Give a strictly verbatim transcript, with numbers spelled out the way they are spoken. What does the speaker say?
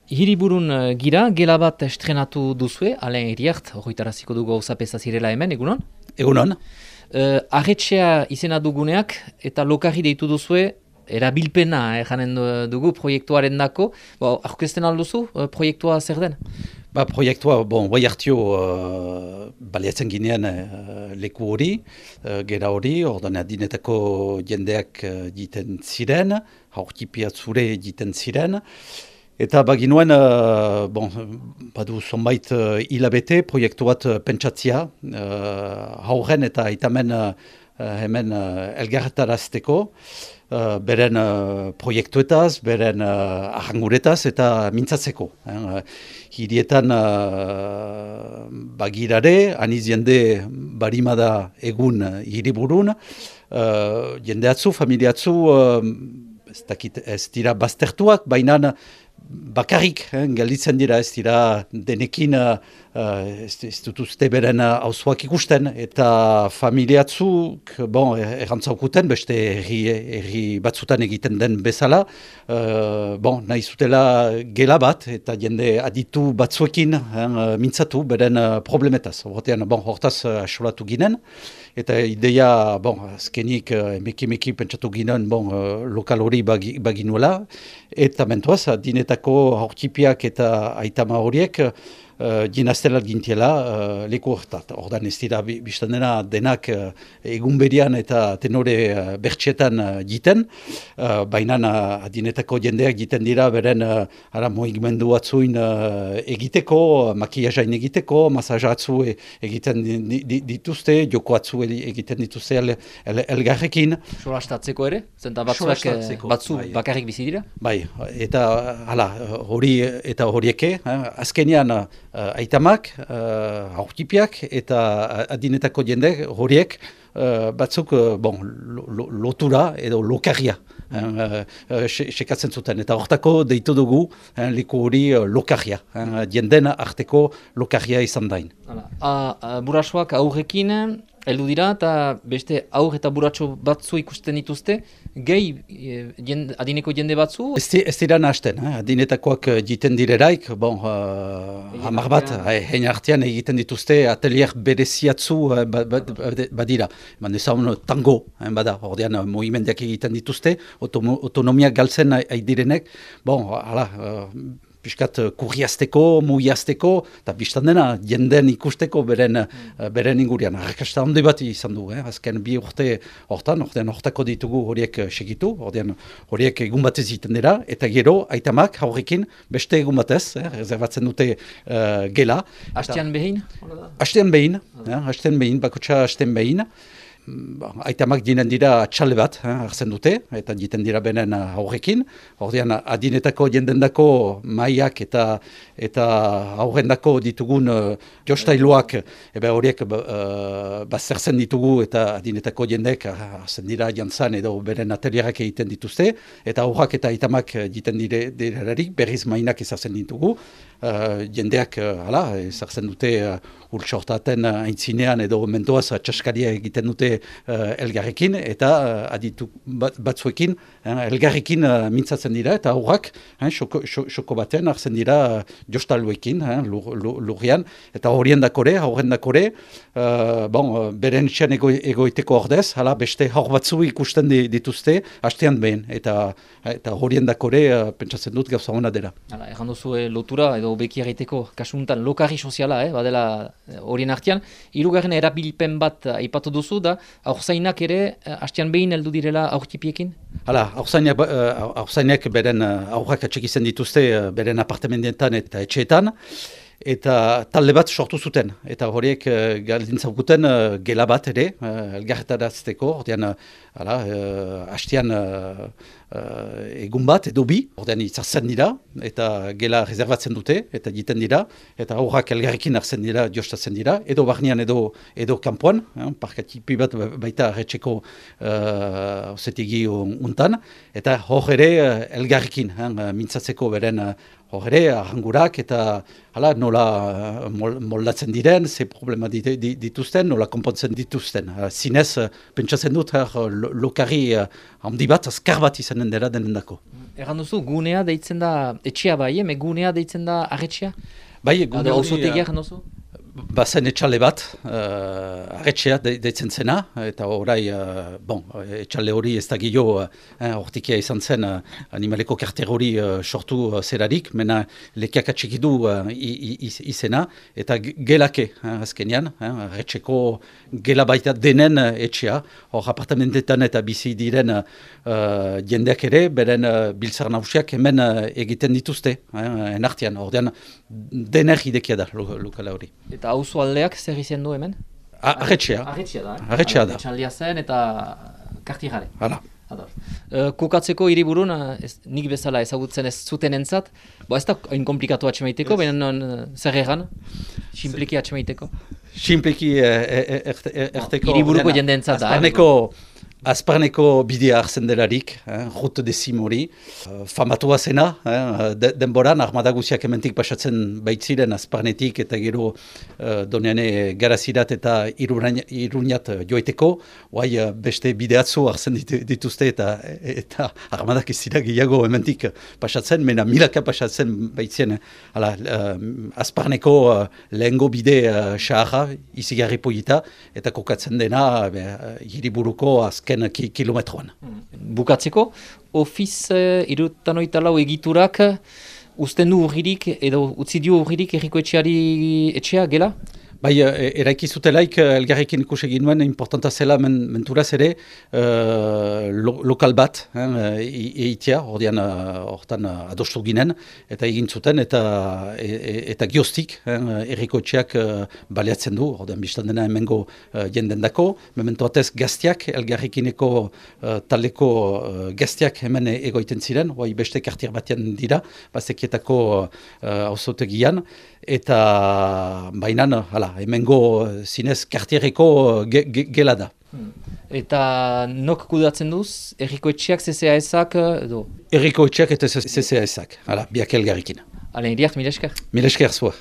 Hiriburun uh, gira, gela bat estrenatu duzue, Alain Iriart, horretaraziko dugu gauzapeza zirela hemen, egunon? Egunon. Uh, Arretxea izena duguneak eta lokarri deitu duzue, erabilpena eh, janen dugu proiektuaren dako. Ba, aurkezten alduzu, uh, proiektua zer den? Ba, proiektua, bon, bai hartio uh, baliatzen ginean uh, leku hori, uh, gera hori, ordan adinetako jendeak uh, jiten ziren, haurtipiatzure jiten ziren. Eta baginuen, uh, bon, badu zonbait uh, hilabete proiektu bat uh, pentsatzia, uh, haurren eta aitamen uh, hemen uh, elgarretarazteko, uh, beren uh, proiektuetaz, beren uh, ahanguretaz eta mintzatzeko. Eh? Hirietan uh, bagirare, aniz jende barimada egun uh, hiriburun, uh, jende atzu, familiatzu, uh, ez dakit, ez dira baztertuak, baina bakarrik, eh, gelditzen dira, ez dira denekin uh, ez, ez dutuzte beren hauzuak ikusten, eta familiatzuk, bon, errantzaukuten, beste erri, erri batzutan egiten den bezala, uh, bon, nahi zutela gela bat, eta jende aditu batzuekin eh, mintzatu beren uh, problemetaz. Hortean, bon, hortaz uh, asolatu ginen, eta ideia, bon, azkenik uh, emeki-emeki pentsatu ginen, bon, uh, lokal hori bagi, baginuela, eta mentuaz, dinetako haurtipiak eta aitama horiek uh, dinaztelat gintiela uh, leku hortat. Ordan ez dira biztan dena denak uh, egun berian eta tenore uh, bertxetan uh, jiten, uh, baina uh, dinetako jendeak jiten dira beren uh, ara moigimendu batzuin uh, egiteko, makiajain egiteko, masajatzu egiten dituzte, joko atzu egiten dituzte el, el, elgarrekin. Solastatzeko ere? Zenta batzuak batzu bai. Bakarrik bizi dira? Bai, eta hala, hori eta horieke, eh, azkenean Uh, aitamak, uh, aurtipiak eta adinetako jende horiek uh, batzuk uh, bon, lo, lo, lotura edo lokarria uh, uh, sekatzen zuten. Eta hortako deitu dugu uh, leku hori uh, lokarria, uh, jenden arteko lokarria izan dain. Burasoak aurrekin heldu dira eta beste aur eta buratxo batzu ikusten dituzte, gehi jende, adineko jende batzu? Ez, ez dira nahazten, eh? Adinetakoak jiten direraik, bon, uh, hamar bat, hein artean egiten dituzte atelier bereziatzu uh, badira. Eman ezagun tango, hein, bada, ordean movimendiak egiten dituzte, autonomia galtzen aidirenek, bon, hala, uh, piskat kurriazteko, mugiazteko, eta biztan dena jenden ikusteko beren, mm. beren ingurian. Arrakasta handi bat izan du, eh? Azken bi urte hortan, ordean hortako ditugu horiek segitu, ordean horiek egun batez egiten dira, eta gero, aitamak haurrekin beste egun batez, eh? Rezerbatzen dute uh, gela. Hastean behin? Hastean behin, eh? Hastean behin, bakotxa hastean behin. Aitamak dinen dira txale bat, eh, hartzen dute, eta diten dira benen aurrekin. Ordean adinetako jendendako maiak eta eta aurrendako ditugun uh, jostailoak, ebe horiek uh, baztertzen ditugu eta adinetako jendek hartzen dira jantzan edo beren atelierak egiten dituzte, eta aurrak eta aitamak diten dire, direrarik berriz mainak ezartzen ditugu. Uh, jendeak, uh, hala, ezartzen dute uh, urtsortaten uh, aintzinean edo mentoaz txaskaria egiten dute uh, elgarrekin, eta uh, aditu bat, batzuekin uh, elgarrekin uh, mintzatzen dira, eta aurrak uh, xoko, xoko batean hartzen dira uh, jostaluekin, uh, lur, lur, lurrian, eta horien dakore, horren dakore, uh, bon, uh, beren txan ego, egoiteko ordez, hala, beste haur batzu ikusten dituzte, hastean behin, eta, eta horien dakore uh, pentsatzen dut gauza hona dela. Hala, erran duzu eh, lotura edo beki egiteko kasuntan lokarri soziala, eh, badela horien artean. Hirugarren erabilpen bat aipatu duzu da, aurzainak ere hastean behin heldu direla aurtipiekin? Hala, aurzainak, uh, aurzainak beren uh, aurrak atxekizen dituzte uh, beren apartamentetan eta etxeetan, eta talde bat sortu zuten, eta horiek uh, galdintzaukuten uh, gela bat ere, uh, elgarretarazteko, ordean, uh, hala, uh, hastean uh, uh, egun bat edo bi, ordean itzartzen dira, eta gela rezerbatzen dute, eta egiten dira, eta aurrak elgarrekin hartzen dira, jostatzen dira, edo barnean edo edo kanpoan, eh, parkatipi bat baita arretxeko uh, ozetigi untan, eta hor ere uh, elgarrekin, eh, mintzatzeko beren uh, hor ere, arrangurak eta hala, nola uh, moldatzen diren, ze problema dituzten, nola konpontzen dituzten. Uh, zinez, uh, pentsatzen dut, uh, lokarri uh, handi bat, azkar bat izanen dela denendako. Erran duzu, gunea deitzen da, etxea bai, eme gunea deitzen da arretxea? Bai, gune hori... Auzotegia erran duzu? Bazen etxale bat, uh, arretxea de, deitzen zena, eta orai, uh, bon, etxale hori ez da gilo, uh, hortikia izan zen uh, animaleko karter hori uh, sortu uh, zerarik, mena lekiak atxikidu uh, izena, eta gelake, uh, azkenean, uh, arretxeko gela baita denen uh, etxea, hor apartamentetan eta bizi diren uh, jendeak ere, beren uh, biltzar nausiak hemen uh, egiten dituzte, uh, enartian, ordean dener idekia da lo, lokala hori. Eta auzo aldeak zer izen du hemen? Arretxea. Arretxea da, eh? Arretxea da. Etxaldia zen eta kartirare. Hala. Uh, kokatzeko hiriburun, uh, ez, nik bezala ezagutzen ez zuten entzat, bo ez da hain komplikatu atxemaiteko, yes. Baina uh, zer egan, simpliki atxemaiteko. Simpliki erteko... Hiriburuko jende entzat da. Azparneko... Azparneko bidea hartzen delarik, eh, Route de Simori, uh, famatua zena, eh, de, denboran, armada guziak hementik pasatzen baitziren Azparnetik eta gero uh, doneane garazirat eta Iruñat joiteko, guai uh, beste bideatzu hartzen dit, dituzte eta eta armadak ez dira gehiago hementik pasatzen, mena milaka pasatzen baitzien. Hala, uh, Azparneko uh, lehengo bide uh, xaharra, izigarri polita, eta kokatzen dena uh, hiriburuko azken Ki, kilometroan. Bukatzeko, ofiz uh, irutan oita lau egiturak uzten du urririk edo utzi dio urririk erriko etxeari etxea gela? Bai, eraiki zutelaik elgarrekin ikusi ginuen, importanta zela men, menturaz ere uh, lo, lokal bat eh, eitea, ordean hortan uh, adostu ginen, eta egin zuten, eta e, eta gioztik, eh, erriko etxeak uh, baliatzen du, ordean biztan dena hemengo uh, jendendako, memento batez gaztiak, elgarrekineko uh, taleko uh, gaztiak hemen egoiten ziren, bai beste kartier batean dira, bazekietako auzotegian, uh, eta bainan, hala, hemengo zinez kartierreko ge, ge, gela da. Hmm. Eta nok kudatzen duz, erriko etxeak, C C A S-ak edo? Erriko etxeak eta C C A S-ak, hala, biak elgarrikin. Halen, iriart, mil esker? Mil esker zua.